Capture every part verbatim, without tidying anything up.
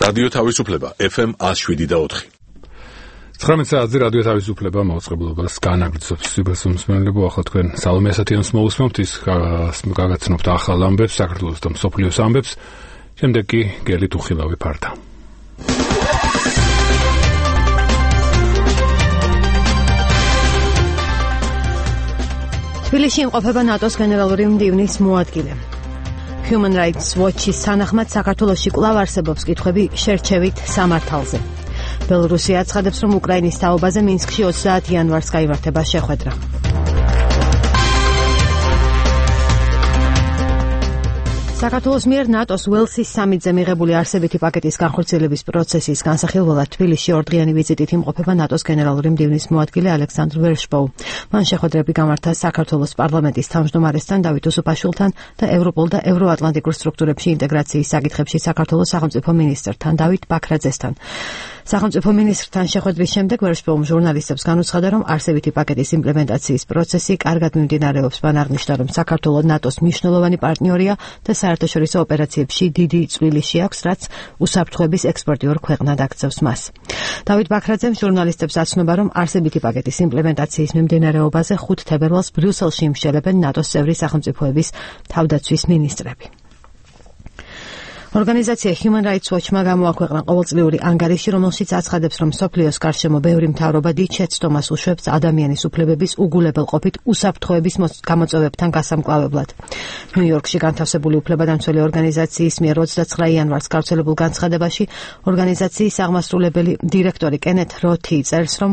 რადიო თავისუფლება ეფ ემ one oh seven და four. ცხრამეტ საათზე რადიო თავისუფლება მაუწყებლობას განაგრძობს. სიბასუმსმენლებო, ახლა თქვენ სალომე ასათიანს მოусმენთ, ის გაგაცნობთ ახალ ამბებს, საქართველოს და მსოფლიოს ამბებს. შემდეგ კი გელი თუხილავი ფარდა. თბილისში იმყოფება ნატოს გენერალური მდივნის მოადგილე. Human Rights Watch-ის თანახმად საქართველოში კვლავ არსებობს კითხვები შერჩევით სამართალზე. ბელორუსია აცხადებს, რომ უკრაინის თაობაზე მინსკში ოცდაათი იანვარს გაიმართება შეხვედრა. საქართველოს მიერ ნატოს ველსის სამიტზე მიღებული არსებითი პაკეტის განხორციელების პროცესის განსახილველად თბილისში ორდღიანი ვიზიტით იმყოფება ნატოს გენერალური მდივნის მოადგილე ალექსანდრ ვერშბოუ. მან შეხვედრები გამართა საქართველოს პარლამენტის თავმჯდომარესთან დავით უსუპაშვილთან და ევროპულ და ევროატლანტიკურ სტრუქტურებში ინტეგრაციის საკითხებში საქართველოს სახელმწიფო მინისტრთან დავით ბაქრაძესთან. სახელმწიფო მინისტრთან შეხვედრის შემდეგ ვერშბოუმ ჟურნალისტებს განუცხადა, რომ არსებითი პაკეტის იმპლემენტაციის პროცესი კარგად მიმდინარეობს. მან აღნიშნა, რომ საქართველო ნატოს მნიშვნელოვანი პარტნიორია და საერთაშორისო ოპერაციებში დიდი წვლილი აქვს, რაც უსაფრთხოების ექსპორტიორ ქვეყნად აქცევს მას. დავით ბაქრაძემ ჟურნალისტებს აცნობა, რომ არსებითი პაკეტის იმპლემენტაციის მიმდინარეობაზე ხუთ თებერვალს ბრიუსელში იმშელებენ ნატოს წევრი სახელმწიფოების თავდაცვის მინისტრები. ორგანიზაცია Human Rights Watch-მა გამოაქვეყნა ყოველწლიური ანგარიში, რომელშიც აცხადებს, რომ მსოფლიოს გარშემო ბევრი მთავრობა დიდ შეცდომას უშვებს ადამიანის უფლებების უგულებელყოფით უსაფრთხოების გამოწვევებთან გასამკლავებლად. ნიუ-იორკში განთავსებული უფლებადამცველი ორგანიზაციის მიერ ოცდაცხრა იანვარს გავრცელებულ განცხადებაში ორგანიზაციის აღმასრულებელი დირექტორი კენეთ როთი წერს, რომ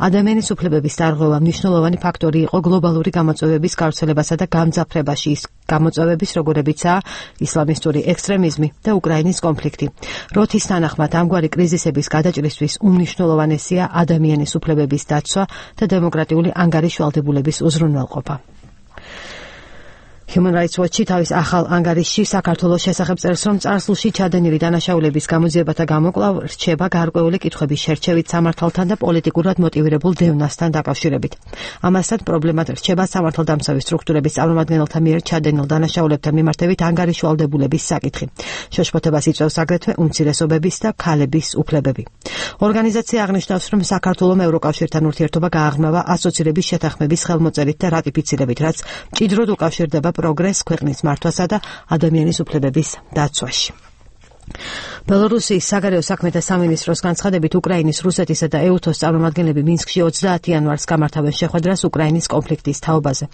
ადამიანის უფლებების დარღვევა მნიშვნელოვანი ფაქტორი იყო გლობალური გამოწვევების გავრცელებასა და გამძაფრებაში, ის გამოწვევების როგორებიცაა ისლამისტური ექსტრემიზმი და უკრაინის კონფლიქტი. როთის თანახმად ამგვარი კრიზისების გადაჭრისთვის უმნიშვნელოვანესია ადამიანის უფლებების დაცვა და დემოკრატიული ანგარიშვალდებულების უზრუნველყოფა. Human Rights Watch-ი თავის ახალ ანგარიშში საქართველოს შესახებ წერს, რომ წარსულში ჩადენილი დანაშაულების გამოძიებათა გამოკვლევ რჩება გარკვეული კითხვების შერჩევით სამართალთან და პოლიტიკურად მოტივირებულ დევნასთან დაკავშირებით. ამასთან პრობლემად რჩება სამართალდამცავი სტრუქტურების წარმომადგენელთა მიერ ჩადენილ დანაშაულებთან მიმართებით ანგარიშვალდებულების საკითხი. შეშფოთებას იწვევს აგრეთვე უმცირესობების და ქალების უფლებები. ორგანიზაცია აღნიშნავს, რომ საქართველომ ევროკავშირთან ურთიერთობა გააღრმავა ასოცირების შეთანხმების ხელმოწერით და რატიფიცირებით, რაც მჭიდროდ უკავშირდება პროგრესს ქვეყნის მართვასა და ადამიანის უფლებების დაცვაში. ბელორუსიის საგარეო საქმეთა სამინისტროს განცხადებით, უკრაინის, რუსეთისა და ეუთოს წარმომადგენლები მინსკში ოცდაათი იანვარს გამართავენ შეხვედრას უკრაინის კონფლიქტის თაობაზე.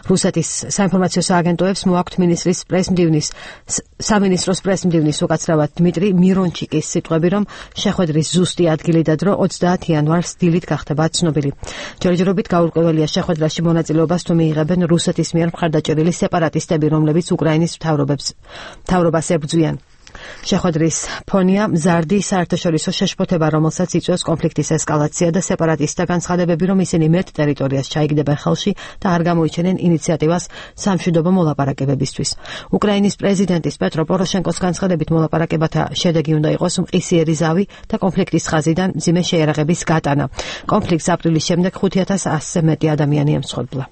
რუსეთის საინფორმაციო სააგენტოებს მოაქვთ მინისტრის პრესმდივნის სამინისტროს პრესმდივნის უკაცრავად დმიტრი მირონჩიკის სიტყვები, რომ შეხვედრის ზუსტი ადგილი და დრო ოცდაათი იანვარს დილით გახდება ცნობილი. ჯერჯერობით გაურკვეველია შეხვედრაში მონაწილეობას თუ მიიღებენ რუსეთის მიერ მხარდაჭერილი სეპარატისტები, რომლებიც უკრაინის მთავრობებს მთავრობას ებრძვიან. შეხვედრის ფონია მზარდი საერთაშორისო შეშფოთება, რომელსაც იწვევს კონფლიქტის ესკალაცია და სეპარატისტთა განცხადებები, რომ ისინი მეტ ტერიტორიას ჩაიგდებენ ხელში და არ გამოიჩენენ ინიციატივას სამშვიდობო მოლაპარაკებებისთვის. უკრაინის პრეზიდენტის პეტრო პოროშენკოს განცხადებით, მოლაპარაკებათა შედეგი უნდა იყოს მყისიერი ზავი და კონფლიქტის ხაზიდან მძიმე შეიარაღების გატანა. კონფლიქტს აპრილის შემდეგ ხუთი ათას ასზე მეტი ადამიანი ემსხვერპლა.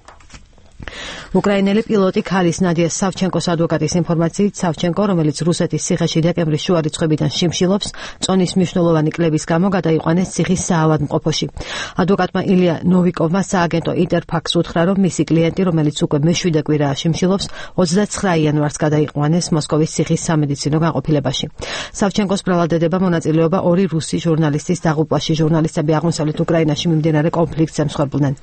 უკრაინელი პილოტი ქალის ნადია სავჩენკოს ადვოკატის ინფორმაციით, სავჩენკო, რომელიც რუსეთის ციხეში დეკემბრის შუა რიცხვებიდან შიმშილობს, წონის მნიშვნელოვანი კლების გამო გადაიყვანეს ციხის საავადმყოფოში. ადვოკატმა ილია ნოვიკოვმა სააგენტო ინტერფაქს უთხრა, რომ მისი კლიენტი, რომელიც უკვე მეშვიდე კვირაა შიმშილობს, ოცდაცხრა იანვარს გადაიყვანეს მოსკოვის ციხის სამედიცინო განყოფილებაში. სავჩენკოს ბრალადედება მონაწილეობა ორი რუსი ჟურნალისტის დაღუპვაში. ჟურნალისტები აღმოსავლეთ უკრაინაში მიმდინარე კონფლიქტს ემსხვერპლნენ.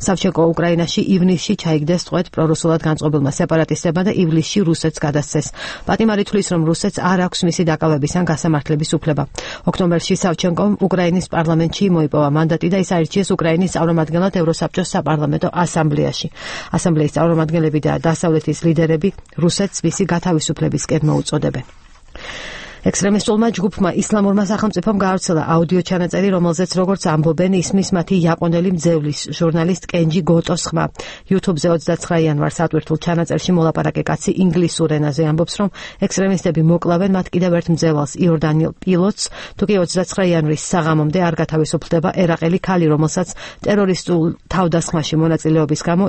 სავჩენკო უკრაინაში ივნისში ჩაიგდეს წვეთ პრორუსულად განწყობილმა სეპარატისტებმა და ივლისში რუსეთს გადასცეს. პატიმარი თვლის, რომ რუსეთს არ აქვს მისი დაკავების ან გასამართლების უფლება. ოქტომბერში სავჩენკომ უკრაინის პარლამენტში მოიპოვა მანდატი და ის აირჩიეს უკრაინის წარმომადგენლად ევროსაბჭოს საპარლამენტო ასამბლეაში. ასამბლეის წარმომადგენლები და დასავლეთის ლიდერები რუსეთს მისი გათავისუფლებისკენ მოუწოდებენ. ექსტრემისტულმა ჯგუფმა ისლამურმა სახელმწიფომ გაავრცელა აუდიო ჩანაწერი, რომელზეც როგორც ამბობენ, ისმის მათი იაპონელი მძევლის ჟურნალისტ კენჯი გოტოს ხმა. YouTube-ზე ოცდაცხრა იანვარს ატვირთულ ჩანაწერში მოლაპარაკე კაცი ინგლისურ ენაზე ამბობს, რომ ექსტრემისტები მოკლავენ მათ კიდევ ერთ მძევალს იორდანიელ პილოტს, თუკი ოცდაცხრა იანვრის საღამომდე არ გათავისუფლდება ერაყელი ქალი, რომელსაც ტერორისტულ თავდასხმაში მონაწილეობის გამო